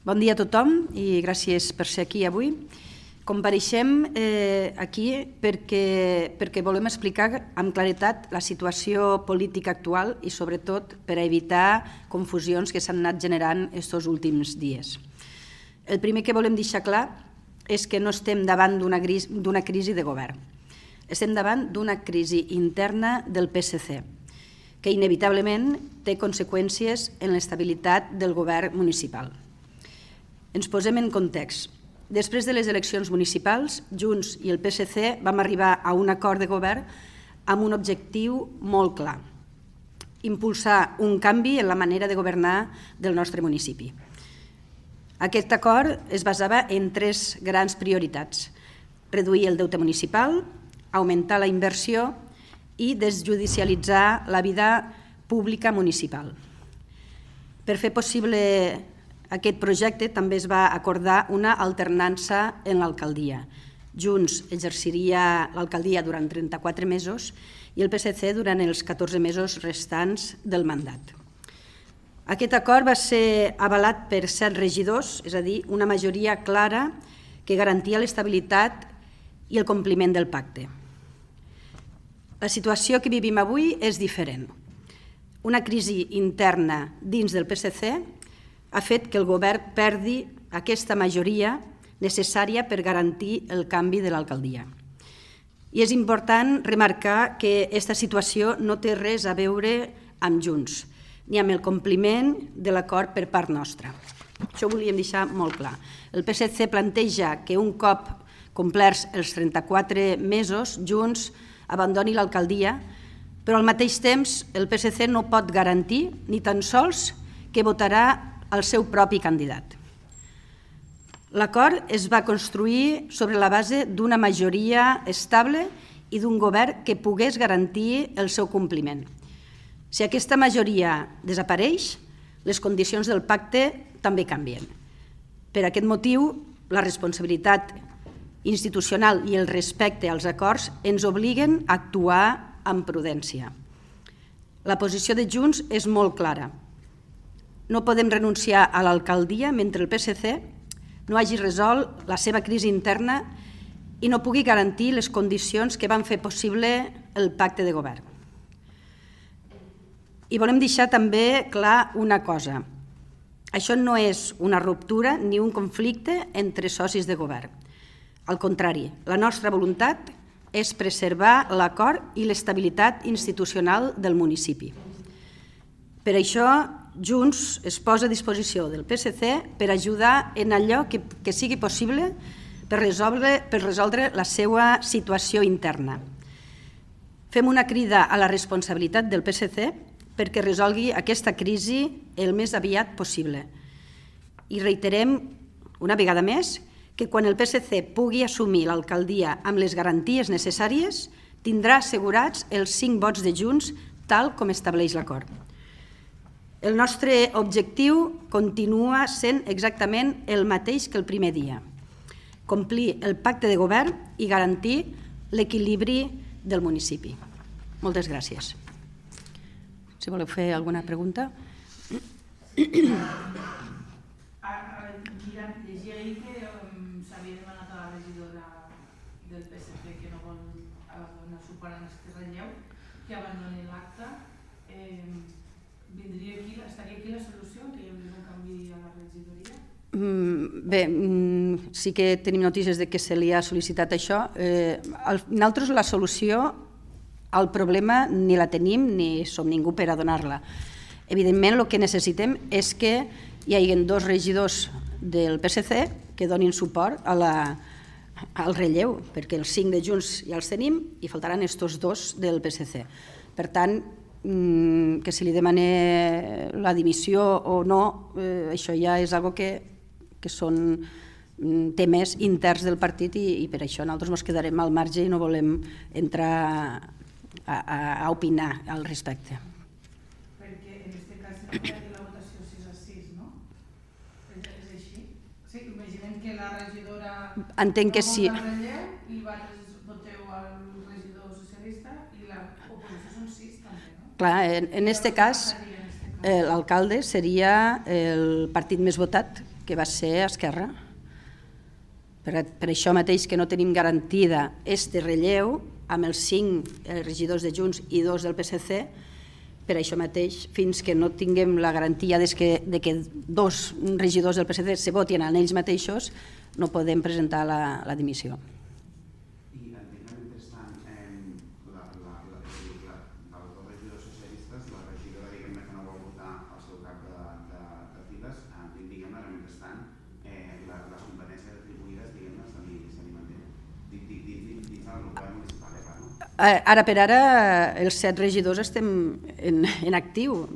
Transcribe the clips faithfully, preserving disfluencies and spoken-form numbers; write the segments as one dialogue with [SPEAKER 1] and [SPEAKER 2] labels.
[SPEAKER 1] Bon dia a tothom i gràcies per ser aquí avui. Compareixem eh, aquí perquè, perquè volem explicar amb claretat la situació política actual i sobretot per a evitar confusions que s'han anat generant aquests últims dies. El primer que volem deixar clar és que no estem davant d'una crisi de govern. Estem davant d'una crisi interna del P S C, que inevitablement té conseqüències en l'estabilitat del govern municipal. Ens posem en context. Després de les eleccions municipals, Junts i el P S C vam arribar a un acord de govern amb un objectiu molt clar: impulsar un canvi en la manera de governar del nostre municipi. Aquest acord es basava en tres grans prioritats: reduir el deute municipal, augmentar la inversió i desjudicialitzar la vida pública municipal. Per fer possible aquest projecte també es va acordar una alternança en l'alcaldia. Junts exerciria l'alcaldia durant trenta-quatre mesos i el P S C durant els catorze mesos restants del mandat. Aquest acord va ser avalat per set regidors, és a dir, una majoria clara que garantia l'estabilitat i el compliment del pacte. La situació que vivim avui és diferent. Una crisi interna dins del P S C ha fet que el govern perdi aquesta majoria necessària per garantir el canvi de l'alcaldia. I és important remarcar que aquesta situació no té res a veure amb Junts, ni amb el compliment de l'acord per part nostra. Això ho volíem deixar molt clar. El P S C planteja que un cop complerts els trenta-quatre mesos, Junts abandoni l'alcaldia, però al mateix temps el P S C no pot garantir ni tan sols que votarà el seu propi candidat. L'acord es va construir sobre la base d'una majoria estable i d'un govern que pogués garantir el seu compliment. Si aquesta majoria desapareix, les condicions del pacte també canvien. Per aquest motiu, la responsabilitat institucional i el respecte als acords ens obliguen a actuar amb prudència. La posició de Junts és molt clara. No podem renunciar a l'alcaldia mentre el P S C no hagi resolt la seva crisi interna i no pugui garantir les condicions que van fer possible el pacte de govern. I volem deixar també clar una cosa. Això no és una ruptura ni un conflicte entre socis de govern. Al contrari, la nostra voluntat és preservar l'acord i l'estabilitat institucional del municipi. Per això, Junts es posa a disposició del P S C per ajudar en allò que, que sigui possible per resoldre, per resoldre la seva situació interna. Fem una crida a la responsabilitat del P S C perquè resolgui aquesta crisi el més aviat possible. I reiterem una vegada més que quan el P S C pugui assumir l'alcaldia amb les garanties necessàries, tindrà assegurats els cinc vots de Junts tal com estableix l'acord. El nostre objectiu continua sent exactament el mateix que el primer dia: complir el pacte de govern i garantir l'equilibri del municipi. Moltes gràcies. Si voleu fer alguna pregunta.
[SPEAKER 2] Llegia ahir que s'havia demanat a la regidora del P S C que no vol donar suport a aquest relleu, que abandoni l'acte. Vindria aquí, estaria aquí la solució, que hi hauria un canvi a la regidoria?
[SPEAKER 1] Bé, sí que tenim notícies de que se li ha sol·licitat això. Nosaltres la solució al problema ni la tenim ni som ningú per a donar-la. Evidentment, el que necessitem és que hi hagi dos regidors del P S C que donin suport a la, al relleu, perquè els cinc de Junts ja els tenim i faltaran estos dos del P S C. Per tant, que si li demane la dimissió o no, això ja és una cosa que, que són temes interns del partit i, i per això nosaltres ens quedarem al marge i no volem entrar a, a, a opinar al respecte.
[SPEAKER 2] Perquè en aquest cas no hi ha la votació sis a sis, no? És així? Sí, imaginem que la regidora
[SPEAKER 1] entenc que sí.
[SPEAKER 2] No vota el relleu i vosaltres voteu al regidor socialista i la oposició són sis també, no?
[SPEAKER 1] Clar, en, en este cas, L'alcalde seria el partit més votat, que va ser Esquerra. Per això mateix que no tenim garantida este relleu amb els cinc regidors de Junts i dos del P S C, per això mateix, fins que no tinguem la garantia de que dos regidors del P S C se votin en ells mateixos, no podem presentar la dimissió.
[SPEAKER 3] I entenc que mentrestant, dels dos regidors socialistes, la regidora diguem-ne que no vol votar el seu cap de files, diguem-ne que mentrestant les competències atribuïdes diguem-ne se li mantenen dins el govern municipal, no?
[SPEAKER 1] Ara per ara els set regidors estem en actiu,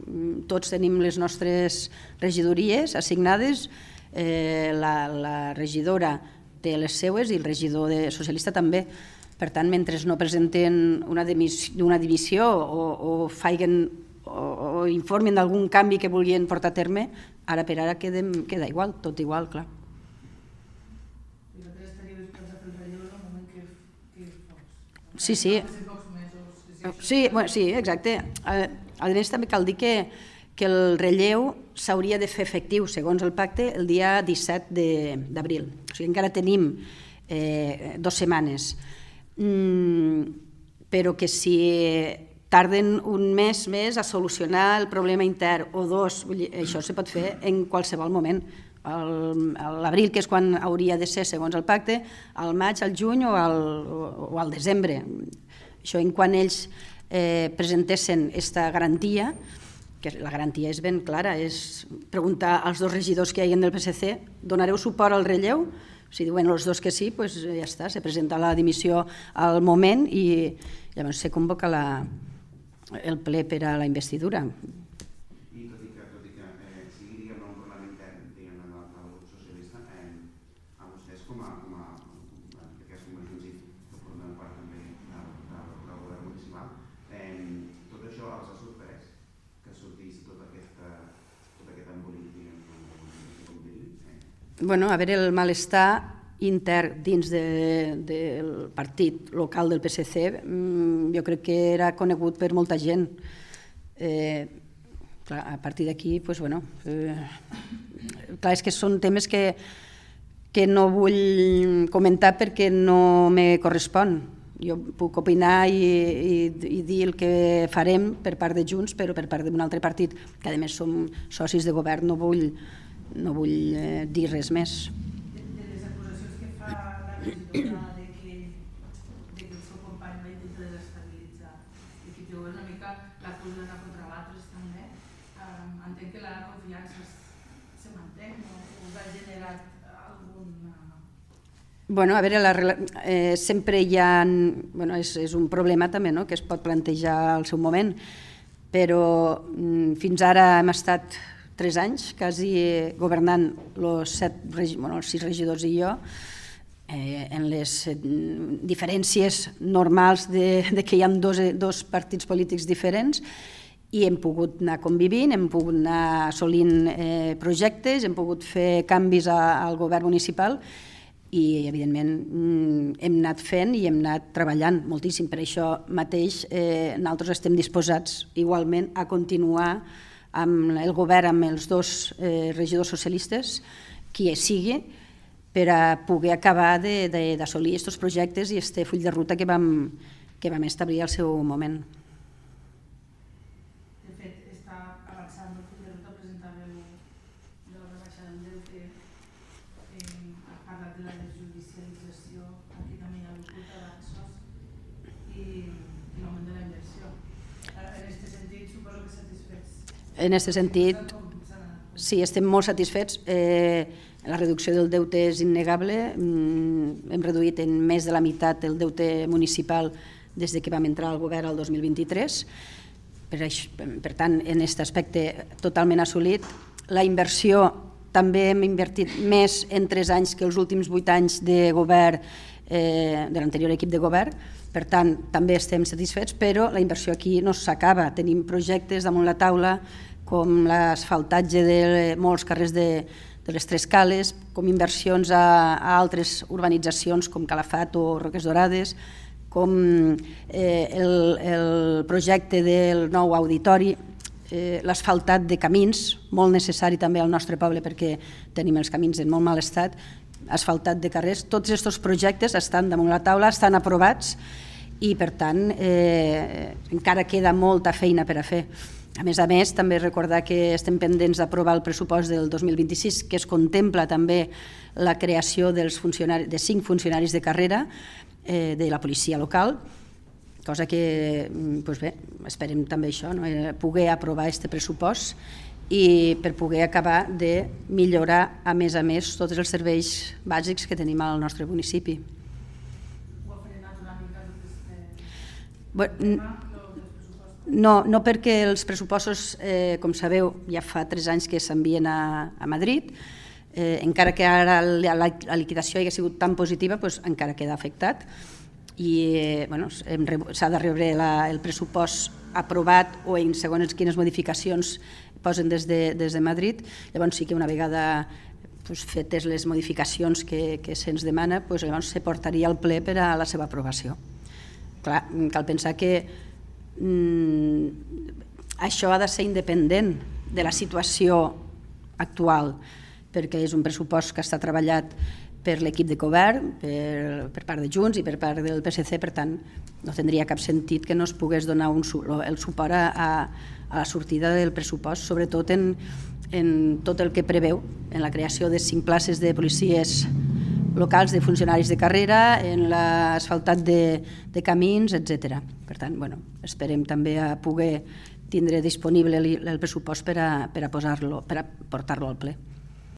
[SPEAKER 1] tots tenim les nostres regidories assignades, la regidora té les seues i el regidor socialista també. Per tant, mentre no presenten una dimissió o informin d'algun canvi que vulguin portar a terme, ara per ara queda igual, tot igual, clar. Sí, sí. Sí, exacte. A més, també cal dir que el relleu s'hauria de fer efectiu, segons el pacte, el dia disset d'abril. O sigui, encara tenim dues setmanes. Però que si tarden un mes més a solucionar el problema intern o dos, això se pot fer en qualsevol moment. L'abril, que és quan hauria de ser segons el pacte, al maig, al juny o al desembre. Això en quan ells presentessin aquesta garantia, que la garantia és ben clara, és preguntar als dos regidors que hi ha del P S C, donareu suport al relleu? Si diuen els dos que sí, doncs ja està, se presenta la dimissió al moment i llavors se convoca el ple per a la investidura.
[SPEAKER 3] I tot i que sigui un problema intern del grup socialista, a vostès com a que som junts i que formem part també del govern municipal, tot això els ha sorprès que sortís tot aquest embolic, com diríem?
[SPEAKER 1] Bueno, a veure, el malestar intern dins del partit local del P S C jo crec que era conegut per molta gent. A partir d'aquí, doncs, bueno, clar, és que són temes que no vull comentar perquè no me correspon. Jo puc opinar i dir el que farem per part de Junts, però per part d'un altre partit, que a més som socis de govern, no vull no vull dir res més.
[SPEAKER 2] De les acusacions que fa la regidora que el seu company va intentar desestabilitzar i que té una mica l'acusen a contra l'altres també, entenc que la confiança se manté o us ha generat alguna...
[SPEAKER 1] Bueno, a veure, sempre hi ha... És un problema també que es pot plantejar al seu moment, però fins ara hem estat tres anys, quasi governant els sis regidors i jo, en les diferències normals que hi ha dos partits polítics diferents, i hem pogut anar convivint, hem pogut anar assolint projectes, hem pogut fer canvis al govern municipal i, evidentment, hem anat fent i hem anat treballant moltíssim. Per això mateix nosaltres estem disposats igualment a continuar amb el govern, amb els dos regidors socialistes, qui sigui, per a poder acabar d'assolir aquests projectes i aquest full de ruta que vam establir al seu moment.
[SPEAKER 2] De fet, està avançant el full de ruta, presentàveu la rebaixa del deute, ha parlat de la desjudicialització, aquí també hi ha hagut avanços, i l'augment de la inversió. En aquest sentit, suposo que satisfets.
[SPEAKER 1] En aquest sentit, sí, estem molt satisfets. La reducció del deute és innegable. Hem reduït en més de la meitat el deute municipal des que vam entrar al govern el dos mil vint-i-tres. Per tant, en aquest aspecte totalment assolit. La inversió també hem invertit més en tres anys que els últims vuit anys de govern, de l'anterior equip de govern. Per tant, també estem satisfets, però la inversió aquí no s'acaba. Tenim projectes damunt la taula, com l'asfaltatge de molts carrers de les Tres Cales, com inversions a altres urbanitzacions com Calafat o Roques Dorades, com el projecte del nou auditori. eh, l'asfaltat de camins, molt necessari també al nostre poble perquè tenim els camins en molt mal estat, asfaltat de carrers, tots aquests projectes estan damunt la taula, estan aprovats i per tant eh, encara queda molta feina per a fer. A més a més, també recordar que estem pendents d'aprovar el pressupost del dos mil vint-i-sis, que es contempla també la creació dels funcionaris, de cinc funcionaris de carrera eh, de la policia local, cosa que, doncs bé, esperem també això, no? Poder aprovar aquest pressupost i per poder acabar de millorar, a més a més, tots els serveis bàsics que tenim al nostre municipi.
[SPEAKER 2] Ho ha frenat una mica aquest
[SPEAKER 1] Bueno,
[SPEAKER 2] tema?
[SPEAKER 1] No, no perquè els pressupostos, eh, com sabeu, ja fa tres anys que s'envien a, a Madrid, eh, encara que ara la, la, la liquidació hagi sigut tan positiva, doncs encara queda afectat i eh, bueno, s'ha de rebre la, el pressupost aprovat o en segons quines modificacions posen des de, des de Madrid. Llavors sí que una vegada doncs, fetes les modificacions que, que se'ns demana, doncs, llavors se portaria al ple per a la seva aprovació. Clar, cal pensar que Mm, això ha de ser independent de la situació actual, perquè és un pressupost que està treballat per l'equip de govern, per, per part de Junts i per part del P S C, per tant no tindria cap sentit que no es pogués donar un, el suport a, a la sortida del pressupost, sobretot en, en tot el que preveu, en la creació de cinc places de policies locals, de funcionaris de carrera, en l'asfaltat de, de camins, etcètera. Per tant, bueno, esperem també a poder tindre disponible el pressupost per a, per a posar-lo, per a portar-lo al ple.